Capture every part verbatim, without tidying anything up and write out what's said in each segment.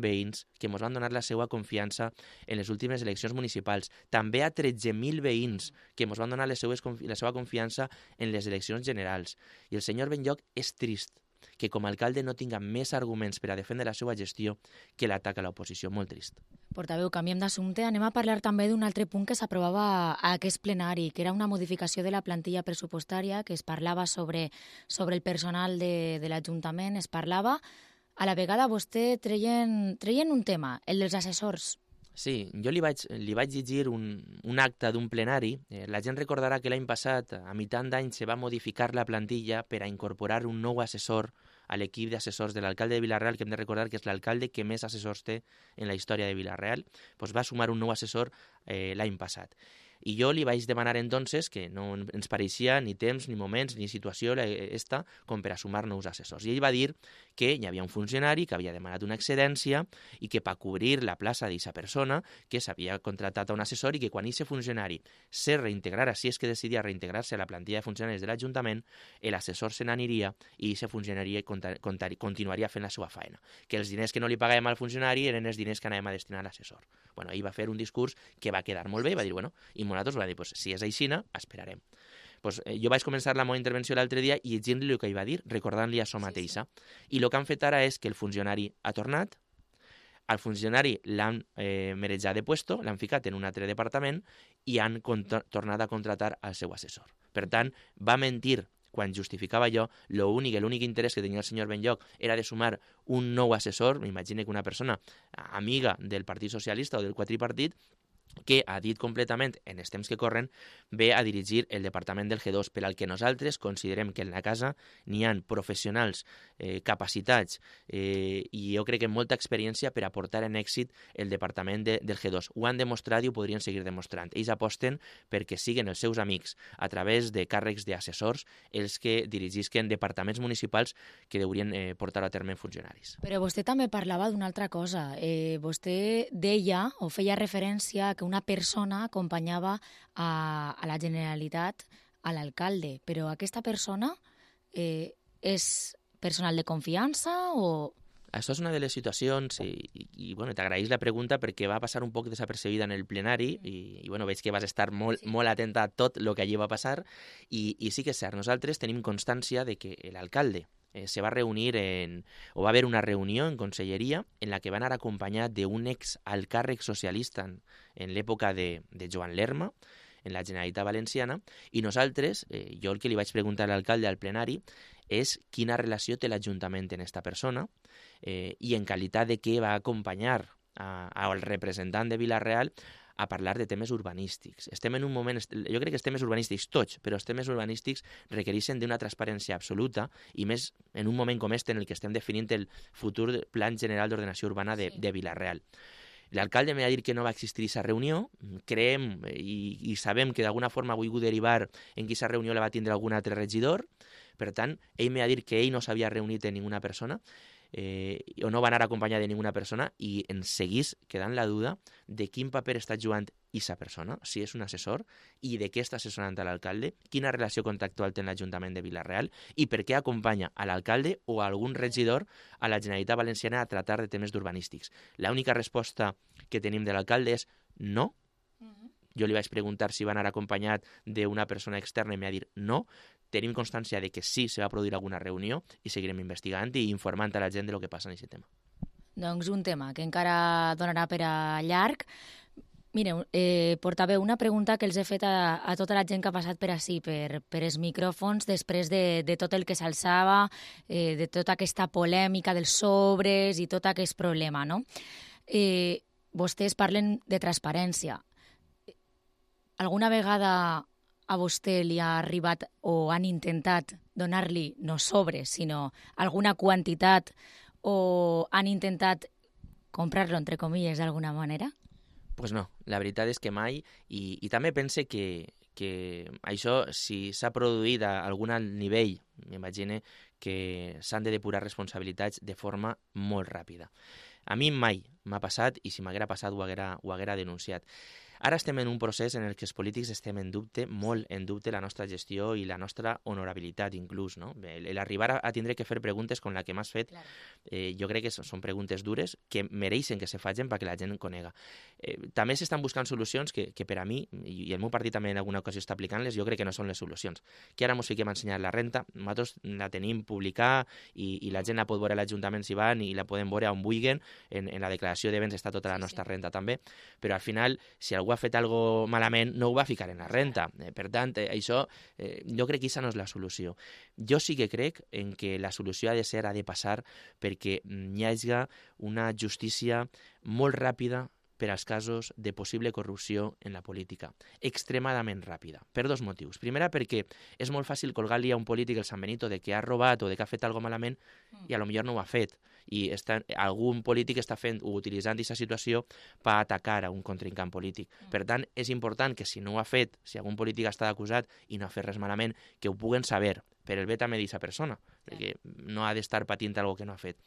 veïns que ens van donar la seva confiança en les últimes eleccions municipals. També a tretze mil veïns que ens van donar les seues, la seva confiança en les eleccions generals. I el senyor Benlloch és trist que com a alcalde no tinga més arguments per a defendre la seva gestió que l'atac a l'oposició. Molt trist. Portaveu, canviem d'assumpte. Anem a parlar també d'un altre punt que s'aprovava a aquest plenari, que era una modificació de la plantilla pressupostària, que es parlava sobre, sobre el personal de, de l'Ajuntament, es parlava. A la vegada vostè treien, treien un tema, el dels assessors. Sí, jo li vaig, li vaig llegir un, un acte d'un plenari. Eh, la gent recordarà que l'any passat, a mitjan d'any, se va modificar la plantilla per a incorporar un nou assessor a l'equip d'assessors de l'alcalde de Vila-real, que hem de recordar que és l'alcalde que més assessors té en la història de Vila-real. Pues va sumar un nou assessor eh, l'any passat. I jo li vaig demanar entonces que no ens pareixia ni temps, ni moments, ni situació esta com per a sumar nous assessors. I ell va dir que hi havia un funcionari que havia demanat una excedència i que per cobrir la plaça d'aquesta persona que s'havia contratat a un assessor i que quan aquest funcionari se reintegrara, si és que decidia reintegrar-se a la plantilla de funcionaris de l'Ajuntament, l'assessor se n'aniria i aquest funcionari continuaria fent la seva feina. Que els diners que no li pagàvem al funcionari eren els diners que anàvem a destinar a l'assessor. Bueno, ell va fer un discurs que va quedar molt bé i va dir, bueno, i nosaltres va dir, pues, si és aixina, esperarem. Pues, eh, jo vaig començar la meva intervenció l'altre dia i llegint-li el que ell va dir, recordant-li això mateixa. Sí, sí. I el que han fet ara és que el funcionari ha tornat, al funcionari l'han eh, merejat de puesto, l'han ficat en un altre departament i han tornat a contratar al seu assessor. Per tant, va mentir quan justificava allò, l'únic, l'únic interès que tenia el senyor Benlloch era de sumar un nou assessor, m'imagino que una persona amiga del Partit Socialista o del quadripartit, que ha dit completament, en els temps que corren, ve a dirigir el departament del G dos, per al que nosaltres considerem que en la casa n'hi ha professionals eh, capacitats eh, i jo crec que molta experiència per a portar en èxit el departament de, del G dos. Ho han demostrat i ho podrien seguir demostrant. Ells aposten perquè siguen els seus amics a través de càrrecs d'assessors els que dirigisquen departaments municipals que deurien eh, portar a terme funcionaris. Però vostè també parlava d'una altra cosa. Eh, vostè deia o feia referència que una persona acompanyava a, a la Generalitat, a l'alcalde, però aquesta persona eh, és personal de confiança o... Això és una de les situacions i, i, i bueno, t'agraïs la pregunta perquè va passar un poc desapercebida en el plenari i, i bueno, veig que vas estar molt, sí. molt atenta a tot el que allí va passar i, i sí que és cert, nosaltres tenim constància de que l'alcalde Eh, se va reunir en, o va haver una reunió en conselleria en la que van anar acompanyat d'un ex alt càrrec socialista en, en l'època de, de Joan Lerma, en la Generalitat Valenciana, i nosaltres, eh, jo el que li vaig preguntar a l'alcalde al plenari és quina relació té l'Ajuntament en aquesta persona eh, i en qualitat de què va acompanyar a, al representant de Vila-real a parlar de temes urbanístics. Estem en un moment, jo crec que els temes urbanístics tots, però els temes urbanístics requereixen d'una transparència absoluta i més en un moment com este en el que estem definint el futur Plan General d'Ordenació Urbana de, sí. de Vila-real. L'alcalde m'ha dit que no va existir aquesta reunió, creiem i, i sabem que d'alguna forma ha volgut derivar en que aquesta reunió la va tindre algun altre regidor, per tant, ell m'ha dit que ell no s'havia reunit amb ninguna persona, Eh, o no va anar acompanyat de ninguna persona i ens seguís quedant la duda de quin paper està jugant aquesta persona, si és un assessor, i de què està assessorant a l'alcalde, quina relació contractual té l'Ajuntament de Vila-real i per què acompanya a l'alcalde o a algun regidor a la Generalitat Valenciana a tractar de temes d'urbanístics. L'única resposta que tenim de l'alcalde és no. Jo li vaig preguntar si va anar acompanyat d'una persona externa i m'ha dit no. Tenim constància de que sí se va produir alguna reunió i seguirem investigant i informant a la gent de lo que passa en aquest tema. Doncs un tema que encara donarà per a llarg. Mireu, eh, portaveu, una pregunta que els he fet a, a tota la gent que ha passat per ací, per, per els micròfons, després de, de tot el que s'alçava, eh, de tota aquesta polèmica dels sobres i tot aquest problema, no? Eh, vostès parlen de transparència. Alguna vegada a vostè li ha arribat o han intentat donar-li no sobres, sinó alguna quantitat o han intentat comprar-lo, entre comilles, d'alguna manera? Pues no, la veritat és que mai, i, i també pense que, que això, si s'ha produït a algun nivell, m'imagine que s'han de depurar responsabilitats de forma molt ràpida. A mi mai m'ha passat, i si m'haguera passat ho haguera, ho haguera denunciat. Ara estem en un procés en el que els polítics estem en dubte, molt en dubte, la nostra gestió i la nostra honorabilitat, inclús, no? L'arribar a, a tindre que fer preguntes com la que m'has fet, claro. eh, jo crec que són preguntes dures que mereixen que se facin perquè la gent conega. Eh, també s'estan buscant solucions que, que per a mi, i el meu partit també en alguna ocasió està aplicant-les, jo crec que no són les solucions. Que ara ens fiquem a ensenyar la renta, nosaltres la tenim publicada i, i la gent la pot veure a l'Ajuntament si van i la poden veure on vulguin, en, en la declaració de béns està tota la nostra sí, sí. renta també, però al final, si algú ha fet algo malament, no ho va ficar en la renta. Eh, per tant, eh, això, eh, jo crec que aquesta no és la solució. Jo sí que crec en que la solució ha de ser, ha de passar perquè hi hagi una justícia molt ràpida per als casos de possible corrupció en la política. Extremadament ràpida, per dos motius. Primera, perquè és molt fàcil colgar-li a un polític el San Benito de que ha robat o de que ha fet alguna malament i a lo millor no ho ha fet. I està, algun polític està fent o utilitzant aquesta situació per atacar a un contrincant polític. Per tant, és important que si no ho ha fet, si algun polític està acusat i no ha fet res malament, que ho puguen saber per el bé també d'aquesta persona, perquè no ha d'estar patint alguna que no ha fet.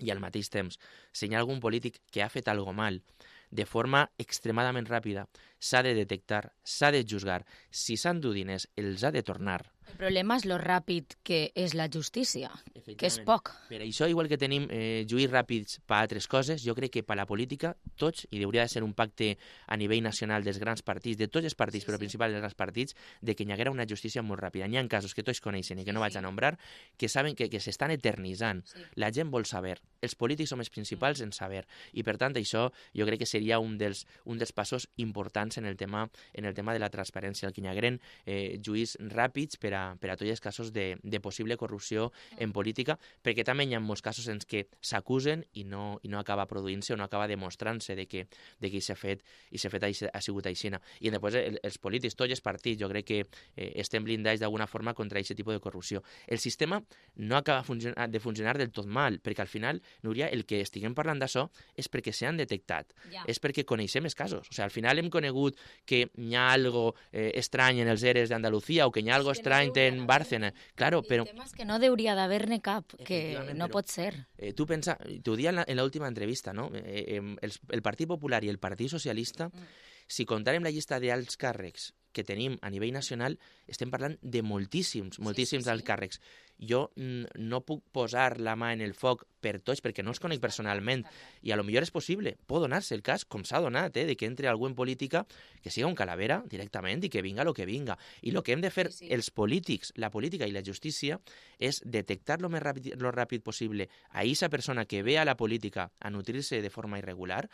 I al mateix temps, si hi ha algun polític que ha fet alguna mal, de forma extremadament ràpida, s'ha de detectar, s'ha de juzgar. Si s'han dut diners, els ha de tornar. El problema és lo ràpid que és la justícia, que és poc. Per això, igual que tenim eh, juís ràpids per altres coses, jo crec que per la política, tots, i hauria de ser un pacte a nivell nacional dels grans partits, de tots els partits, sí, però sí. principals dels grans partits, de que hi haguera una justícia molt ràpida. Hi ha casos que tots coneixen i que no vaig a nombrar, que saben que, que s'estan eternitzant. Sí. La gent vol saber. Els polítics som els principals mm. en saber. I, per tant, això jo crec que seria un dels, un dels passos importants en el tema, en el tema de la transparència, el que hi hagueren eh, juís ràpids per a per a tots els casos de, de possible corrupció en política, perquè també hi ha molts casos en què s'acusen i no, i no acaba produint-se o no acaba demostrant-se de que, de que s'ha fet i s'ha fet ha sigut aixina. I després el, els polítics, tots els partits, jo crec que eh, estem blindats d'alguna forma contra aquest tipus de corrupció. El sistema no acaba funcionar, de funcionar del tot mal, perquè al final, Núria, el que estiguem parlant d'això és perquè s'han detectat, ja. és perquè coneixem els casos. O sigui, al final hem conegut que hi ha algo eh, estrany en els eres d'Andalucía o que hi ha algo estrany en Bárcena, claro, però... El tema és que no hauria d'haver-ne cap, que no pot ser. Eh, tu pensa, t'ho dia en l'última entrevista, no? Eh, eh, el, el Partit Popular i el Partit Socialista, mm. si comptarem la llista d'alts càrrecs que tenim a nivell nacional, estem parlant de moltíssims, moltíssims sí, sí, sí. alts càrrecs. Jo no puc posar la mà en el foc per tots, perquè no els conec personalment, i a lo millor és possible, pot donar-se el cas, com s'ha donat, eh, de que entre algú en política que siga un calavera directament i que vinga el que vinga. I el que hem de fer sí, sí. els polítics, la política i la justícia, és detectar lo més ràpid, lo ràpid possible a aquesta persona que ve a la política a nutrir-se de forma irregular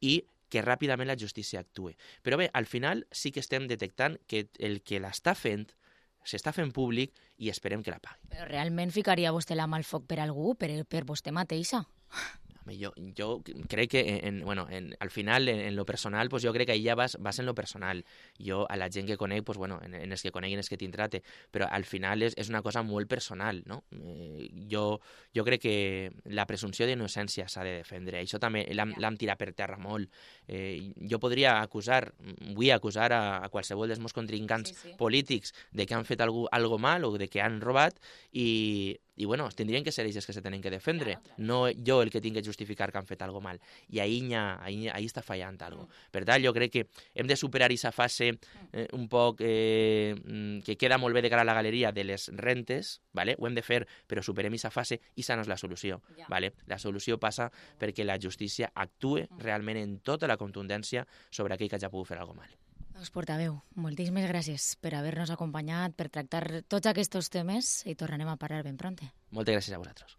i que ràpidament la justícia actue. Però bé, al final sí que estem detectant que el que l'està fent s'està fent públic i esperem que la pagui. Però realment ficaria vostè la mà al foc per algú, per, per vostè mateixa? Jo, jo crec que en, bueno, en, al final, en, en lo personal, pues jo crec que ahí ja vas, vas en lo personal. Jo a la gent que conec, pues bueno, en, en els que conec i en els que t'intrate, però al final és, és una cosa molt personal, no? Eh, jo, jo crec que la presumpció d'innocència s'ha de defendre. Això també l'hem tirat per terra molt. Eh, jo podria acusar, vull acusar a, a qualsevol dels meus contrincants sí, sí. polítics de que han fet algo, algo mal o de que han robat i i bueno, tindrien que ser ells que se tenen que defendre, claro, claro. no jo el que tinc que justificar que han fet algo mal. I ahí, ha, ahí, ahí està fallant algo. Mm. Per tant, jo crec que hem de superar aquesta fase eh, un poc eh, que queda molt bé de cara a la galeria de les rentes, ¿vale? Ho hem de fer, però superem aquesta fase i aquesta no és la solució. Ja. ¿Vale? La solució passa perquè la justícia actue mm. realment en tota la contundència sobre aquell que hagi pogut fer algo mal. Doncs portaveu, moltíssimes gràcies per haver-nos acompanyat, per tractar tots aquests temes i tornarem a parlar ben pronte. Moltes gràcies a vosaltres.